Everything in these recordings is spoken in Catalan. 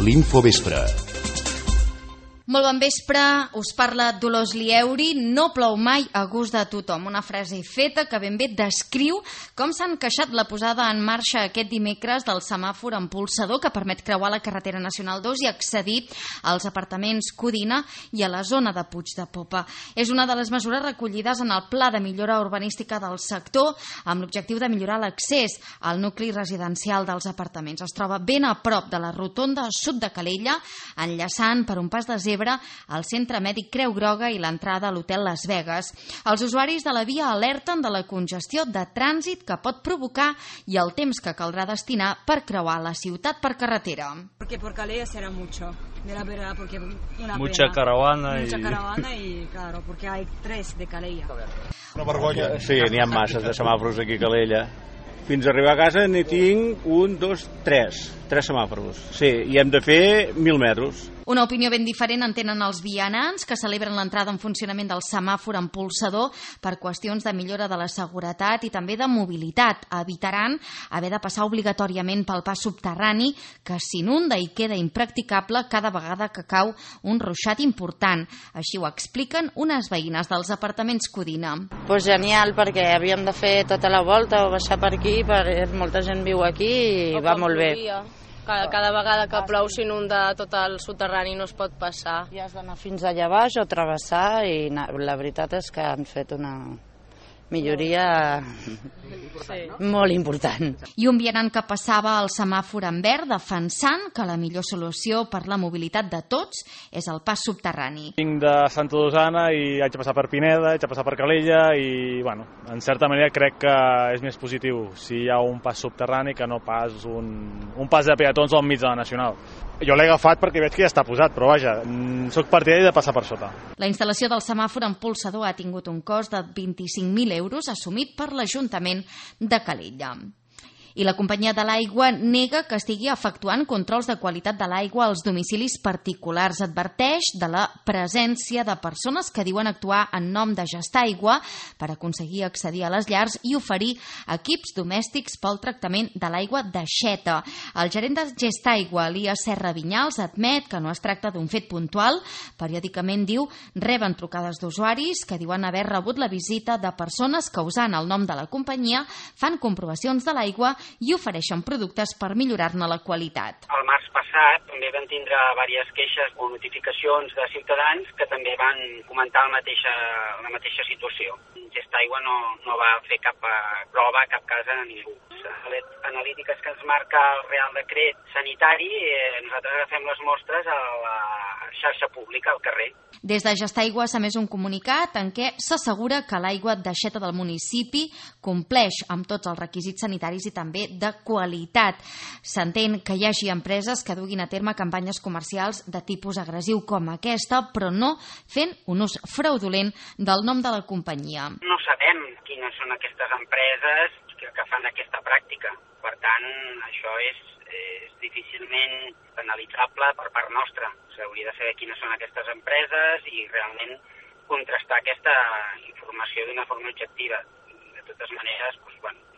l'Infovespre. Molt bon vespre, us parla Dolors Lieuri. No plou mai a gust de tothom. Una frase feta que ben bé descriu com s'ha encaixat la posada en marxa aquest dimecres del semàfor amb pulsador que permet creuar la carretera nacional 2 i accedir als apartaments Codina i a la zona de Puig de Popa. És una de les mesures recollides en el Pla de Millora Urbanística del sector amb l'objectiu de millorar l'accés al nucli residencial dels apartaments. Es troba ben a prop de la rotonda sud de Calella, enllaçant per un pas de zebra al Centre Mèdic Creu Groga i l'entrada a l'Hotel Las Vegas. Els usuaris de la via alerten de la congestió de trànsit que pot provocar i el temps que caldrà destinar per creuar la ciutat per carretera. Porque por Calella será mucho, de la verdad, porque una mucha pena. caravana Y claro, porque hay 3 de Calella. Una vergonya. Sí, n'hi ha masses de semàfors aquí a Calella. Fins a arribar a casa n'hi tinc 1, 2, 3 semàfors. Sí, i hem de fer 1.000 metres. Una opinió ben diferent en tenen els vianants que celebren l'entrada en funcionament del semàfor amb pulsador per qüestions de millora de la seguretat i també de mobilitat. Evitaran haver de passar obligatòriament pel pas subterrani que s'inunda i queda impracticable cada vegada que cau un ruixat important. Així ho expliquen unes veïnes dels apartaments Codina. Pues genial, perquè havíem de fer tota la volta o baixar per aquí, molta gent viu aquí i va molt bé. Cada vegada que plou s'inunda tot el soterrani i no es pot passar. I has d'anar fins allà baix o travessar i la veritat és que han fet una milloria molt important. I un vianant que passava el semàfor en verd defensant que la millor solució per la mobilitat de tots és el pas subterrani. Vinc de Santa Dosana i haig de passar per Pineda, haig de passar per Calella i, bueno, en certa manera crec que és més positiu si hi ha un pas subterrani que no pas un pas de peatons al mig de la Nacional. Jo l'he agafat perquè veig que ja està posat, però vaja, soc partidari de passar per sota. La instal·lació del semàfor amb pulsador ha tingut un cost de 25.000 euros assumit per l'Ajuntament de Calella. I la companyia de l'aigua nega que estigui efectuant controls de qualitat de l'aigua als domicilis particulars. Adverteix de la presència de persones que diuen actuar en nom de Gestaigua per aconseguir accedir a les llars i oferir equips domèstics pel tractament de l'aigua d'aixeta. El gerent de Gestaigua, Elias Serra Vinyals, admet que no es tracta d'un fet puntual. Periòdicament, diu, reben trucades d'usuaris que diuen haver rebut la visita de persones que, usant el nom de la companyia, fan comprovacions de l'aigua i ofereixen productes per millorar-ne la qualitat. El març passat també van tindre diverses queixes o notificacions de ciutadans que també van comentar la mateixa situació. Gestaigua no va fer cap prova a cap casa a ningú. Les analítiques que ens marca el Real Decret Sanitari, nosaltres agafem les mostres a la xarxa pública, al carrer. Des de Gestaigua s'ha emès un comunicat en què s'assegura que l'aigua d'aixeta del municipi compleix amb tots els requisits sanitaris i també de qualitat. S'entén que hi hagi empreses que duguin a terme campanyes comercials de tipus agressiu com aquesta, però no fent un ús fraudulent del nom de la companyia. No sabem quines són aquestes empreses que fan aquesta pràctica. Per tant, això és difícilment penalitzable per part nostra. S'hauria de saber quines són aquestes empreses i realment contrastar aquesta informació d'una forma objectiva. De totes maneres,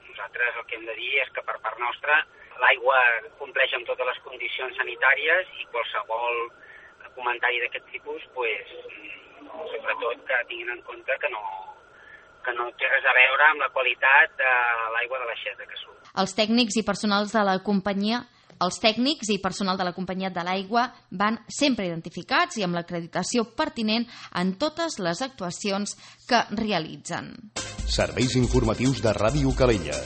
nosaltres el que hem de dir és que per part nostra l'aigua compleix amb totes les condicions sanitàries i qualsevol comentari d'aquest tipus, sobretot que tinguin en compte que no té res a veure amb la qualitat de l'aigua de l'aixeta que surt. Els tècnics i personal de la companyia de l'aigua van sempre identificats i amb l'acreditació pertinent en totes les actuacions que realitzen. Serveis informatius de Ràdio Calella.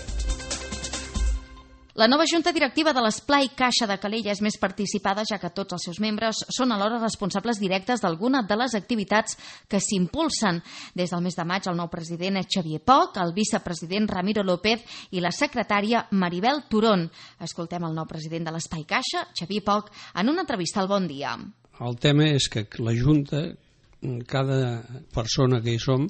La nova junta directiva de l'Esplai Caixa de Calella és més participada, ja que tots els seus membres són alhora responsables directes d'alguna de les activitats que s'impulsen. Des del mes de maig, el nou president és Xavier Poch, el vicepresident Ramiro López i la secretària Maribel Turón. Escoltem el nou president de l'Esplai Caixa, Xavier Poch, en una entrevista al Bon Dia. El tema és que la junta, cada persona que hi som,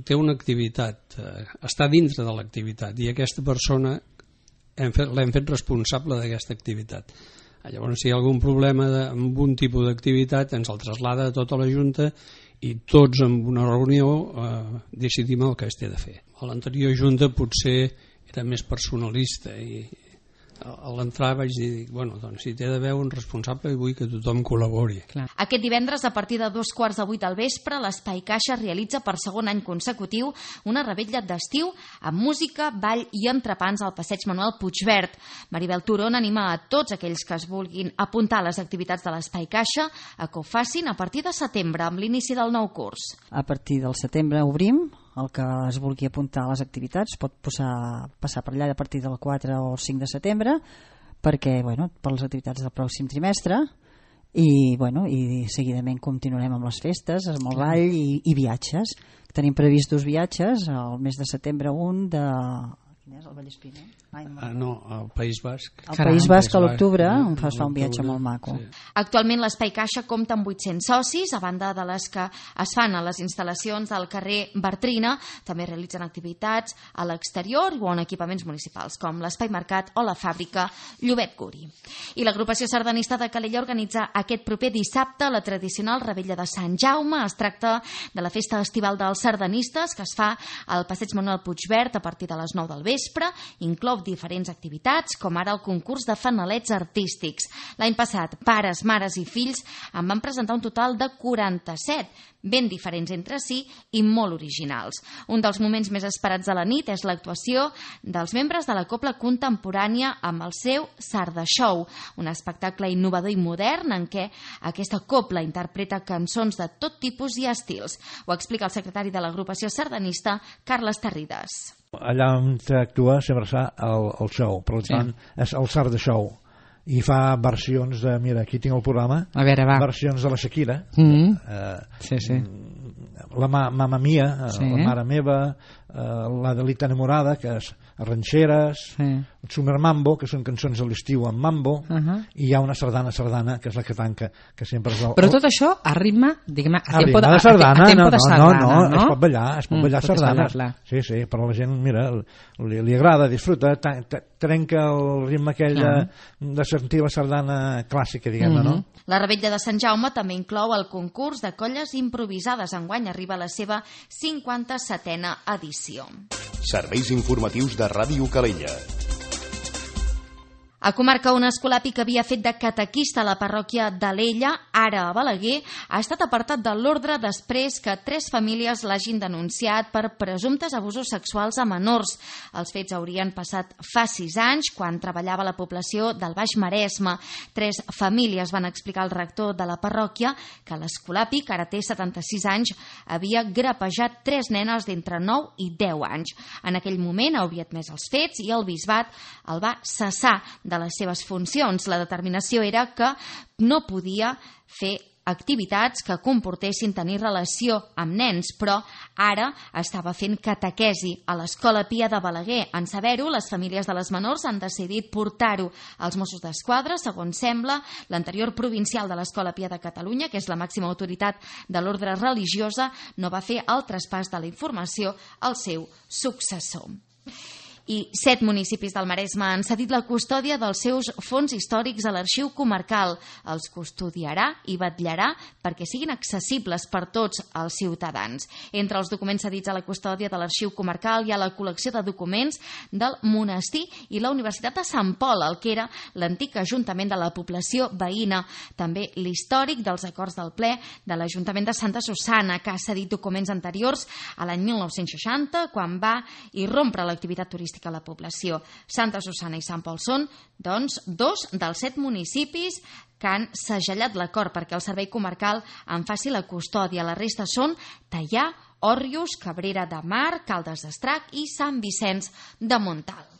té una activitat, està dintre de l'activitat, i aquesta persona l'hem fet responsable d'aquesta activitat. Llavors, si hi ha algun problema amb un tipus d'activitat, ens el traslada a tota la Junta i tots en una reunió decidim el que es té de fer. A l'anterior Junta potser era més personalista i a l'entrar vaig dir, bueno, doncs si té d'haver un responsable vull que tothom col·labori. Aquest divendres, a partir de 7:15 del vespre, l'Espai Caixa realitza per segon any consecutiu una revetlla d'estiu amb música, ball i entrepans al passeig Manuel Puigverd. Maribel Turon anima a tots aquells que es vulguin apuntar a les activitats de l'Espai Caixa a que ho facin a partir de setembre, amb l'inici del nou curs. A partir del setembre obrim. El que es vulgui apuntar a les activitats pot passar per allà a partir del 4 o 5 de setembre perquè, per les activitats del pròxim trimestre i seguidament continuarem amb les festes, amb el ball i viatges. Tenim previstos viatges al mes de setembre Quin és? El Vallespí, no? No, al País Basc. Al País Basc a l'octubre es fa un viatge molt maco. Sí. Actualment l'Espai Caixa compta amb 800 socis, a banda de les que es fan a les instal·lacions del carrer Bartrina, també realitzen activitats a l'exterior o en equipaments municipals, com l'Espai Mercat o la fàbrica Llobet Guri. I l'agrupació sardanista de Calella organitza aquest proper dissabte la tradicional Revetlla de Sant Jaume. Es tracta de la festa estival dels sardanistes que es fa al passeig Manuel Puigverd a partir de les 9 del vespre. Inclou diferents activitats, com ara el concurs de fanalets artístics. L'any passat, pares, mares i fills en van presentar un total de 47, ben diferents entre si i molt originals. Un dels moments més esperats de la nit és l'actuació dels membres de la Cobla Contemporània amb el seu Sarda Show, un espectacle innovador i modern en què aquesta cobla interpreta cançons de tot tipus i estils. Ho explica el secretari de l'agrupació sardanista, Carles Tarrides. Allà on actua sempre fa el show, per tant és el Sarda Show i fa versions de, mira, aquí tinc el programa, a veure, va. Versions de la Shakira, sí. La Mamma Mia, la Mare Meva, la Delita Enamorada, que és ranxeres, el Summer Mambo, que són cançons de l'estiu amb mambo, i hi ha una sardana, que és la que tanca, que sempre és Però tot això a ritme, diguem-ne, a tempo de sardana, no? Es pot ballar sardanes. Sí, però la gent, mira, li agrada, disfruta, trenca el ritme aquell de sentir la sardana clàssica, diguem-ne, no? La Revetlla de Sant Jaume també inclou el concurs de colles improvisades. Enguany arriba a la seva 57a edició. Serveis informatius de Ràdio Calella. A Comarca, un escolapi que havia fet de catequista a la parròquia d'Alella, ara a Balaguer, ha estat apartat de l'ordre després que 3 famílies l'hagin denunciat per presumptes abusos sexuals a menors. Els fets haurien passat fa 6 anys, quan treballava a la població del Baix Maresme. 3 famílies van explicar al rector de la parròquia que l'escolapi, que ara té 76 anys, havia grapejat 3 nenes d'entre 9 i 10 anys. En aquell moment havia admès els fets i el bisbat el va cessar de les seves funcions. La determinació era que no podia fer activitats que comportessin tenir relació amb nens, però ara estava fent catequesi a l'Escola Pia de Balaguer. En saber-ho, les famílies de les menors han decidit portar-ho als Mossos d'Esquadra. Segons sembla, l'anterior provincial de l'Escola Pia de Catalunya, que és la màxima autoritat de l'ordre religiosa, no va fer el traspàs de la informació al seu successor. I 7 municipis del Maresme han cedit la custòdia dels seus fons històrics a l'Arxiu Comarcal. Els custodiarà i vetllarà perquè siguin accessibles per tots els ciutadans. Entre els documents cedits a la custòdia de l'Arxiu Comarcal hi ha la col·lecció de documents del monestir i la Universitat de Sant Pol, el que era l'antic ajuntament de la població veïna. També l'històric dels acords del ple de l'Ajuntament de Santa Susanna, que ha cedit documents anteriors a l'any 1960, quan va irrompre l'activitat turística a la població. Santa Susanna i Sant Pol són, doncs, 2 dels 7 municipis que han segellat l'acord perquè el Servei Comarcal en faci la custòdia. La resta són Teià, Òrrius, Cabrera de Mar, Caldes d'Estrac i Sant Vicenç de Montalt.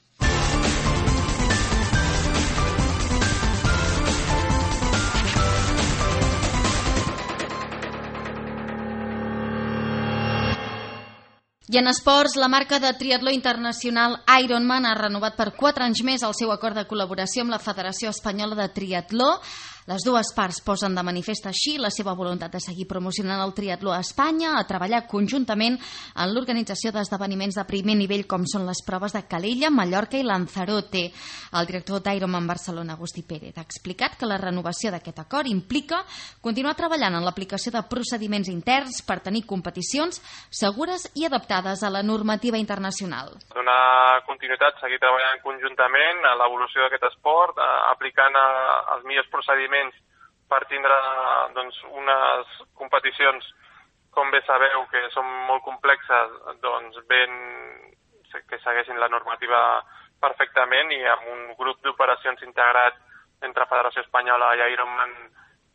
I en esports, la marca de triatló internacional Ironman ha renovat per 4 anys més el seu acord de col·laboració amb la Federació Espanyola de Triatló. Les dues parts posen de manifest així la seva voluntat de seguir promocionant el triatló a Espanya, a treballar conjuntament en l'organització d'esdeveniments de primer nivell com són les proves de Calella, Mallorca i Lanzarote. El director d'Ironman Barcelona, Agustí Pérez, ha explicat que la renovació d'aquest acord implica continuar treballant en l'aplicació de procediments interns per tenir competicions segures i adaptades a la normativa internacional. Donar continuïtat, seguir treballant conjuntament a l'evolució d'aquest esport, aplicant els millors procediments per tindre unes competicions, com bé sabeu, que són molt complexes, que segueixin la normativa perfectament i amb un grup d'operacions integrat entre Federació Espanyola i Ironman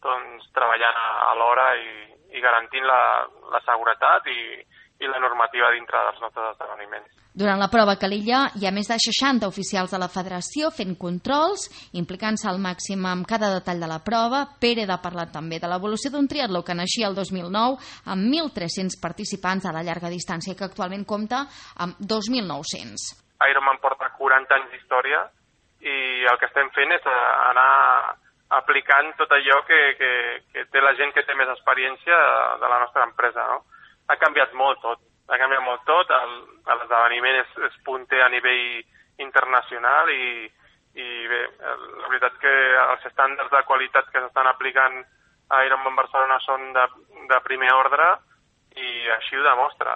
treballant alhora i garantint la seguretat i la normativa dintre dels nostres esdeveniments. Durant la prova Calella hi ha més de 60 oficials de la federació fent controls, implicant-se al màxim amb cada detall de la prova. Pérez ha parlat també de l'evolució d'un triatló que naixia el 2009 amb 1.300 participants a la llarga distància i que actualment compta amb 2.900. Ironman porta 40 anys d'història i el que estem fent és anar aplicant tot allò que té la gent que té més experiència de la nostra empresa, no? Ha canviat molt tot. L'esdeveniment és punter a nivell internacional i bé, la veritat que els estàndards de qualitat que s'estan aplicant a Ironman Barcelona són de primer ordre i així ho demostra.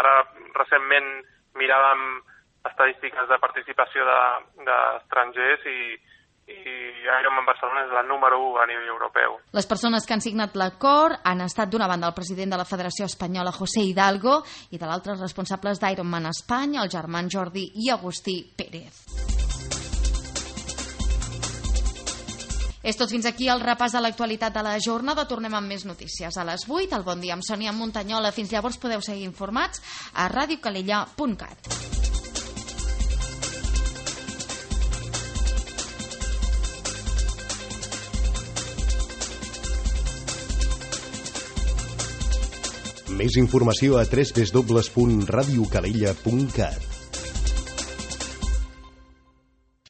Ara recentment miràvem estadístiques de participació d'estrangers i Ironman Barcelona és la número 1 a nivell europeu. Les persones que han signat l'acord han estat d'una banda el president de la Federació Espanyola, José Hidalgo, i de l'altre els responsables d'Ironman Espanya, el germans Jordi i Agustí Pérez. És tot fins aquí el repàs de l'actualitat de la jornada. Tornem amb més notícies a les 8. El Bon Dia amb Sònia Muntanyola. Fins llavors podeu seguir informats a radiocalella.cat. Més informació a www.radiocalella.cat.